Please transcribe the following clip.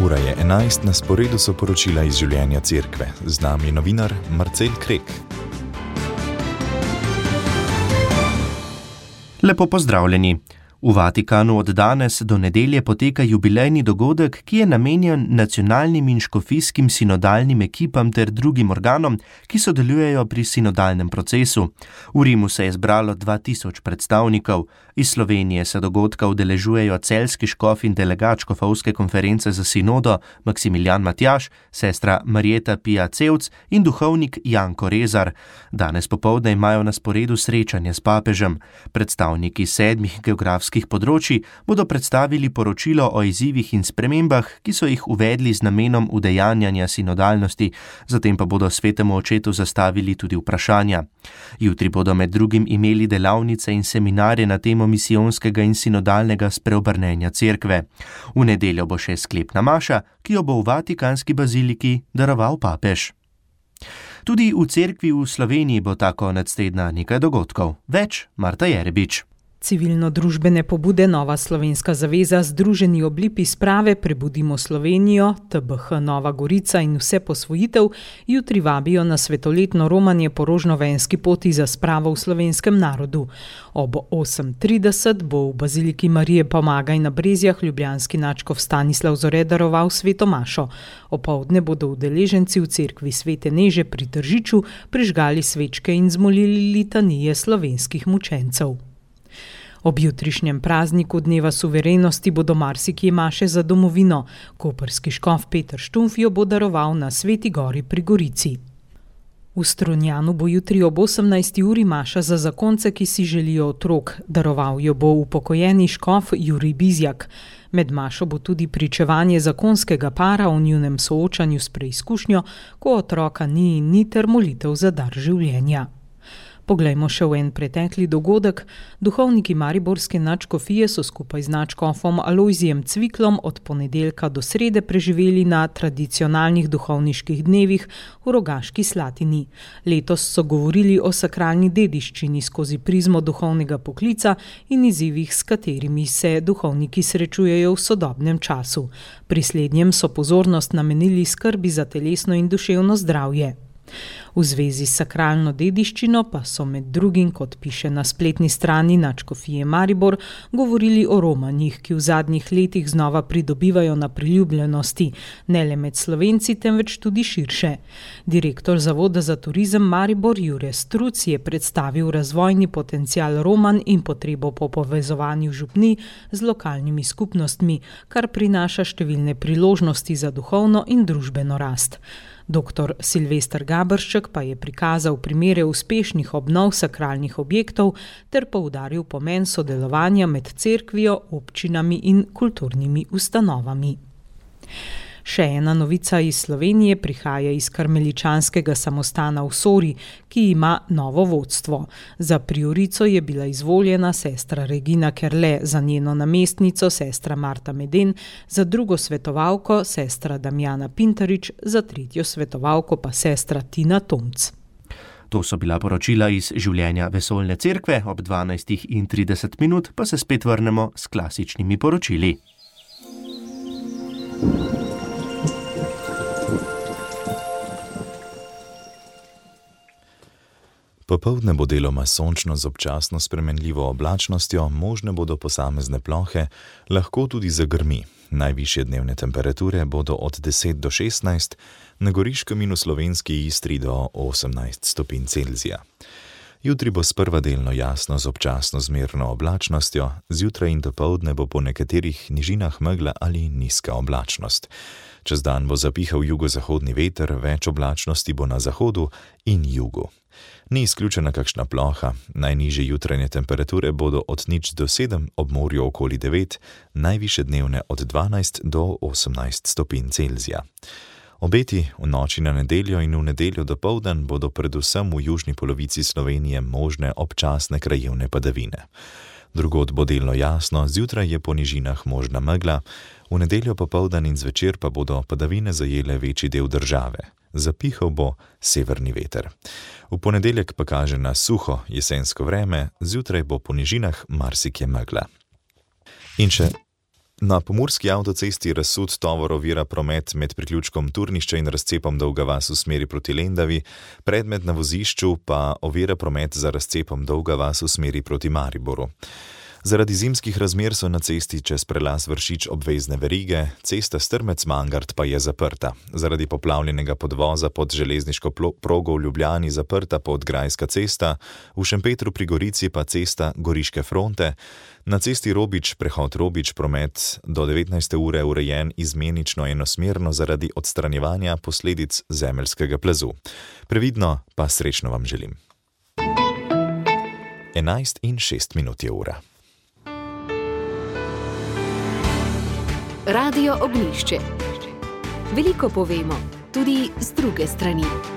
Ura je 11, na sporedu so poročila iz življenja cerkve. Z nami je novinar Marcel Krek. Lepo pozdravljeni. V Vatikanu od danes do nedelje poteka jubilejni dogodek, ki je namenjen nacionalnim in škofijskim sinodalnim ekipam ter drugim organom, ki sodelujejo pri sinodalnem procesu. V Rimu se je zbralo 2000 predstavnikov. Iz Slovenije se dogodka udeležujejo celjski škof in delegat škofovske konference za sinodo Maksimilijan Matjaž, sestra Marjeta Pija Cevc in duhovnik Janko Rezar. Danes popoldne imajo na sporedu srečanje s papežem. Predstavniki 7 geografskih področji bodo predstavili poročilo o izzivih in spremembah, ki so jih uvedli z namenom udejanjanja sinodalnosti, zatem pa bodo svetemu očetu zastavili tudi vprašanja. Jutri bodo med drugim imeli delavnice in seminarje na temo misijonskega in sinodalnega spreobrnenja cerkve. V nedeljo bo še sklepna maša, ki jo bo v Vatikanski baziliki daroval papež. Tudi v cerkvi v Sloveniji bo ta konec tedna nekaj dogodkov. Več Marta Jerebič. Civilno-družbene pobude Nova slovenska zaveza, Združeni oblipi sprave Prebudimo Slovenijo, TBH Nova Gorica in Vse posvojitev jutri vabijo na svetoletno romanje po rožnovenski poti za spravo v slovenskem narodu. Ob 8:30 bo v baziliki Marije Pomagaj na Brezjah ljubljanski nadškof Stanislav Zore daroval sveto mašo. Opoldne bodo udeleženci v cerkvi Svete Neže pri Tržiču prižgali svečke in zmolili litanije slovenskih mučencev. Ob jutrišnjem prazniku Dneva suverenosti bodo marsikje maše za domovino. Koprski škof Peter Štumf jo bo daroval na Sveti gori pri Gorici. V Strunjanu bo jutri ob 18. uri maša za zakonce, ki si želijo otrok. Daroval jo bo upokojeni škof Jurij Bizjak. Med mašo bo tudi pričevanje zakonskega para o njunem soočanju s preizkušnjo, ko otroka ni ter molitev za dar življenja. Poglejmo še v en pretekli dogodek. Duhovniki mariborske nadškofije so skupaj z nadškofom Alojzijem Cviklom od ponedeljka do srede preživeli na tradicionalnih duhovniških dnevih v Rogaški Slatini. Letos so govorili o sakralni dediščini skozi prizmo duhovnega poklica in izzivih, s katerimi se duhovniki srečujejo v sodobnem času. Pri slednjem so pozornost namenili skrbi za telesno in duševno zdravje. V zvezi s sakralno dediščino pa so med drugim, kot piše na spletni strani nadškofije Maribor, govorili o romanjih, ki v zadnjih letih znova pridobivajo na priljubljenosti, ne le med Slovenci, temveč tudi širše. Direktor Zavoda za turizem Maribor Jure Struc je predstavil razvojni potencial romanj in potrebo po povezovanju župnij z lokalnimi skupnostmi, kar prinaša številne priložnosti za duhovno in družbeno rast. Dr. Silvester Gabršček pa je prikazal primere uspešnih obnov sakralnih objektov ter poudaril pomen sodelovanja med cerkvijo, občinami in kulturnimi ustanovami. Še ena novica iz Slovenije prihaja iz karmeličanskega samostana v Sori, ki ima novo vodstvo. Za priorico je bila izvoljena sestra Regina Kerle, za njeno namestnico sestra Marta Meden, za drugo svetovalko sestra Damjana Pintarič, za tretjo svetovalko pa sestra Tina Tomc. To so bila poročila iz življenja vesoljne cerkve, ob 12:30 pa se spet vrnemo s klasičnimi poročili. Popoldne bo deloma sončno z občasno spremenljivo oblačnostjo, možne bodo posamezne plohe, lahko tudi zagrmi. Najvišje dnevne temperature bodo od 10 do 16, na Goriškem in v slovenski Istri do 18 stopinj Celzija. Jutri bo sprva delno jasno z občasno zmerno oblačnostjo, zjutraj in dopoldne bo po nekaterih nižinah megla ali nizka oblačnost. Čez dan bo zapihal jugozahodni veter, več oblačnosti bo na zahodu in jugu. Ni izključena kakšna ploha, najnižje jutranje temperature bodo od 0 do 7, ob morju okoli 9, najvišje dnevne od 12 do 18 stopinj Celzija. Obeti v noči na nedeljo in v nedeljo dopoldan bodo predvsem v južni polovici Slovenije možne občasne krajevne padavine. Drugod bo delno jasno, zjutraj je po nižinah možna megla, v nedeljo popoldan in zvečer pa bodo padavine zajele večji del države. Zapihal bo severni veter. V ponedeljek pa kaže na suho jesensko vreme, zjutraj bo po nižinah marsikje megla. In še Na pomurski avtocesti razsut tovor ovira promet med priključkom Turnišče in razcepom Dolga vas v smeri proti Lendavi, predmet na vozišču pa ovira promet za razcepom Dolga vas v smeri proti Mariboru. Zaradi zimskih razmer so na cesti čez prelaz Vršič obvezne verige, cesta Strmec-Mangart pa je zaprta. Zaradi poplavljenega podvoza pod železniško progo v Ljubljani zaprta Podgrajska cesta, v Šempetru pri Gorici pa cesta Goriške fronte, na cesti Robič, prehod Robič, promet do 19. ure urejen izmenično enosmerno zaradi odstranjevanja posledic zemeljskega plazu. Previdno pa srečno vam želim. 11:06 je ura. Radio Ognjišče. Veliko povemo, tudi z druge strani.